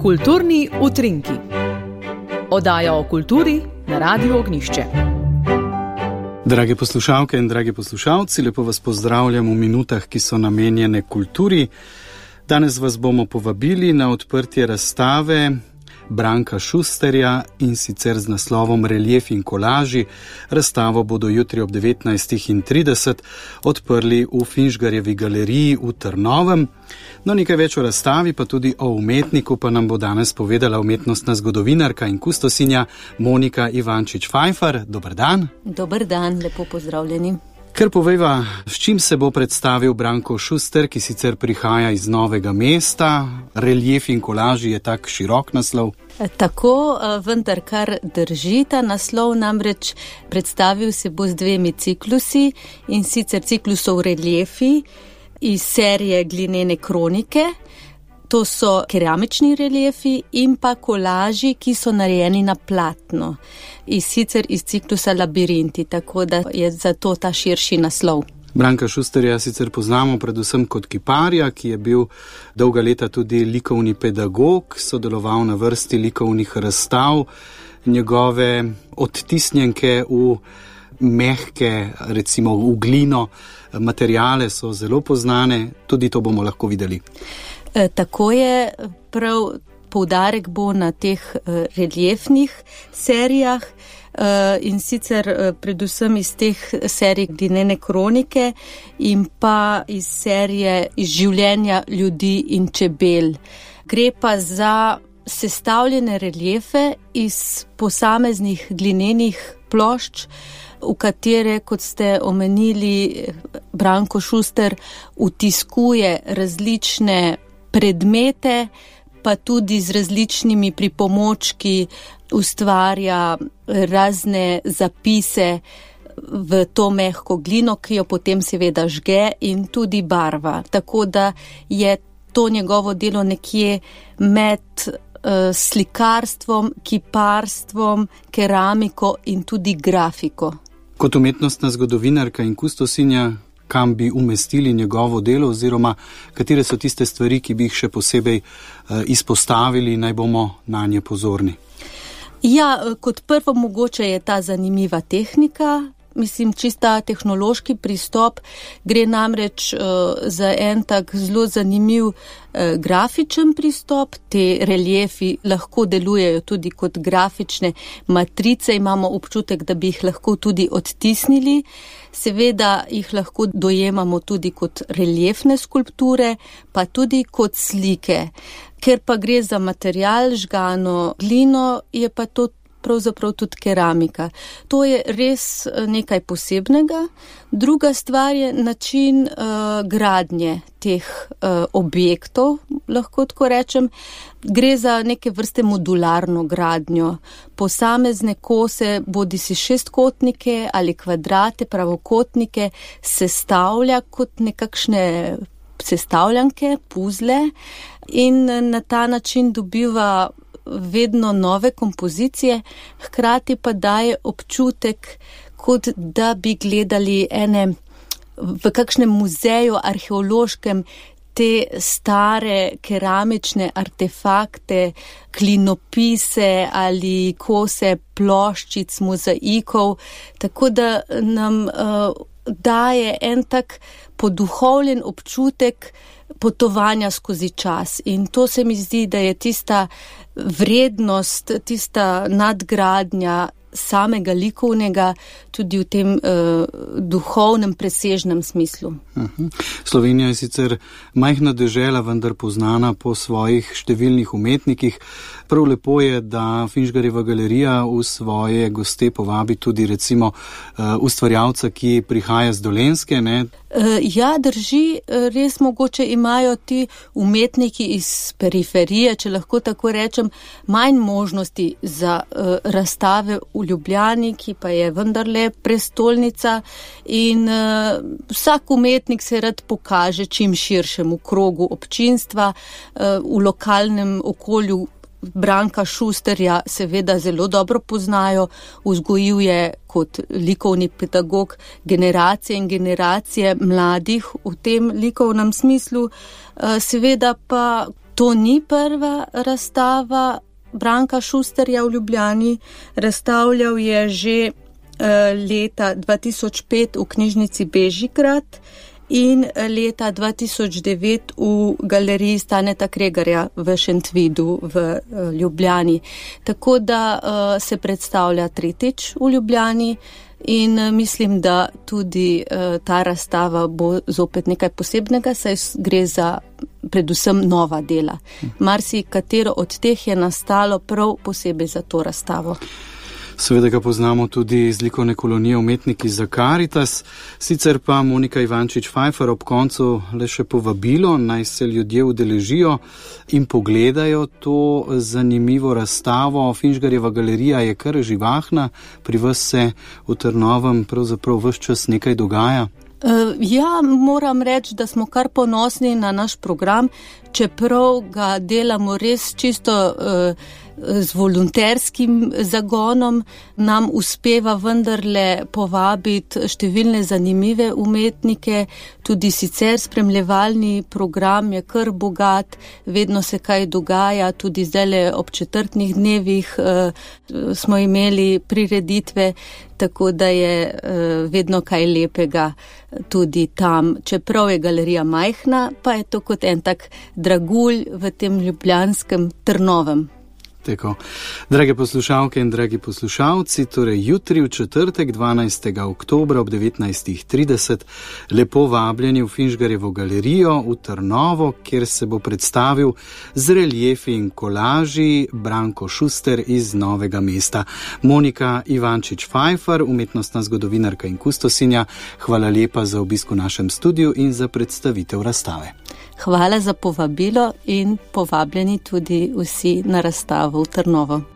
Kulturni utrinki. Oddaja o kulturi na Radiu Ognjišče. Drage poslušalke in dragi poslušalci, lepo vas pozdravljam v minutah, ki so namenjene kulturi. Danes vas bomo povabili na odprtje razstave Branka Šusterja, in sicer z naslovom Relief in kolaži. Razstavo bodo jutri ob 19:30 odprli v Finžgarjevi galeriji v Trnovem. No, nekaj več o razstavi, pa tudi o umetniku, pa nam bo danes povedala umetnostna zgodovinarka in kustosinja Monika Ivančič-Fajfar. Dober dan. Dober dan, lepo pozdravljeni. Kar povejva, s čim se bo predstavil Branko Šuster, ki sicer prihaja iz Novega mesta. Relief in kolaži je tak širok naslov. Tako, vendar kar drži ta naslov, namreč predstavil se bo z dvemi ciklusi, in sicer ciklusov reliefi iz serije Glinene kronike. To so keramični reliefi in pa kolaži, ki so narejeni na platno. Sicer iz ciklusa Labirinti, tako da je zato ta širši naslov. Branka Šusterja sicer poznamo predvsem kot kiparja, ki je bil dolga leta tudi likovni pedagog, sodeloval na vrsti likovnih razstav. Njegove odtisnjenke v mehke, recimo v glino, materiale so zelo poznane, tudi to bomo lahko videli. Tako je, prav poudarek bo na teh reliefnih serijah, in sicer predvsem iz teh serij Glinene kronike in pa iz serije Iz življenja ljudi in čebel. Gre pa za sestavljene reliefe iz posameznih glinenih plošč, v katere, kot ste omenili, Branko Šuster vtiskuje različne predmete, pa tudi z različnimi pripomočki ustvarja razne zapise v to mehko glino, ki jo potem seveda žge, in tudi barva. Tako da je to njegovo delo nekje med slikarstvom, kiparstvom, keramiko in tudi grafiko. Kot umetnostna zgodovinarka in kustosinja, kam bi umestili njegovo delo, oziroma katere so tiste stvari, ki bi jih še posebej izpostavili, naj bomo na nje pozorni? Ja, kot prvo mogoče je ta zanimiva tehnika, čista tehnološki pristop. Gre namreč za en tak zelo zanimiv grafičen pristop. Te reliefi lahko delujejo tudi kot grafične matrice, imamo občutek, da bi jih lahko tudi odtisnili. Seveda jih lahko dojemamo tudi kot reliefne skulpture, pa tudi kot slike. Ker pa gre za material, žgano glino, je pa to pravzaprav tudi keramika. To je res nekaj posebnega. Druga stvar je način gradnje teh objektov, lahko tako rečem. Gre za neke vrste modularno gradnjo. Posamezne kose, bodisi šestkotnike ali kvadrate, pravokotnike, sestavlja kot nekakšne sestavljanke, puzle, in na ta način dobiva vedno nove kompozicije, hkrati pa daje občutek, kot da bi gledali v kakšnem muzeju arheološkem te stare keramične artefakte, klinopise ali kose ploščic, mozaikov, tako da nam daje en tak poduhovljen občutek potovanja skozi čas. In to se mi zdi, da je tista vrednost, tista nadgradnja samega likovnega tudi v tem duhovnem, presežnem smislu. Slovenija je sicer majhna dežela, vendar poznana po svojih številnih umetnikih. Prav lepo je, da Finžgarjeva galerija v svoje goste povabi tudi recimo ustvarjalca, ki prihaja z Dolenjske, ne? Ja, drži, res mogoče imajo ti umetniki iz periferije, če lahko tako rečem, manj možnosti za razstave v Ljubljani, ki pa je vendarle prestolnica, in vsak umetnik se rad pokaže čim širšemu krogu občinstva, v lokalnem okolju. Branka Šusterja seveda zelo dobro poznajo, vzgojil je kot likovni pedagog generacije in generacije mladih v tem likovnem smislu. Seveda pa To ni prva razstava Branka Šusterja v Ljubljani. Razstavljal je že leta 2005 v knjižnici Bežigrad in leta 2009 v galeriji Staneta Kregarja v Šentvidu v Ljubljani. Tako da se predstavlja tretjič v Ljubljani in mislim, da tudi ta razstava bo zopet nekaj posebnega, saj gre za predvsem nova dela. Marsikatero od teh je nastalo prav posebej za to razstavo. Seveda ga poznamo tudi iz likovne kolonije Umetniki za Karitas, sicer pa Monika Ivančič-Fajfar ob koncu le še povabilo, naj se ljudje udeležijo in pogledajo to zanimivo razstavo. Finžgarjeva galerija je kar živahna, pri vas se v Trnovem pravzaprav ves čas nekaj dogaja. Ja, moram reči, da smo kar ponosni na naš program, čeprav ga delamo res čisto z volonterskim zagonom, nam uspeva vendarle povabiti številne zanimive umetnike, tudi sicer spremljevalni program je kar bogat, vedno se kaj dogaja, tudi zdajle ob četrtnih dnevih smo imeli prireditve, tako da je vedno kaj lepega tudi tam. Čeprav je galerija majhna, pa je to kot en tak dragulj v tem ljubljanskem Trnovem. Tako. Drage poslušalke in dragi poslušalci, torej jutri v četrtek 12. oktobra ob 19.30 lepo vabljeni v Finžgarjevo galerijo v Trnovo, kjer se bo predstavil z reljefi in kolaži Branko Šuster iz Novega mesta. Monika Ivančič-Fajfar, umetnostna zgodovinarka in kustosinja, hvala lepa za obisk v našem studiu in za predstavitev razstave. Hvala za povabilo in povabljeni tudi vsi na razstavo v Trnovo.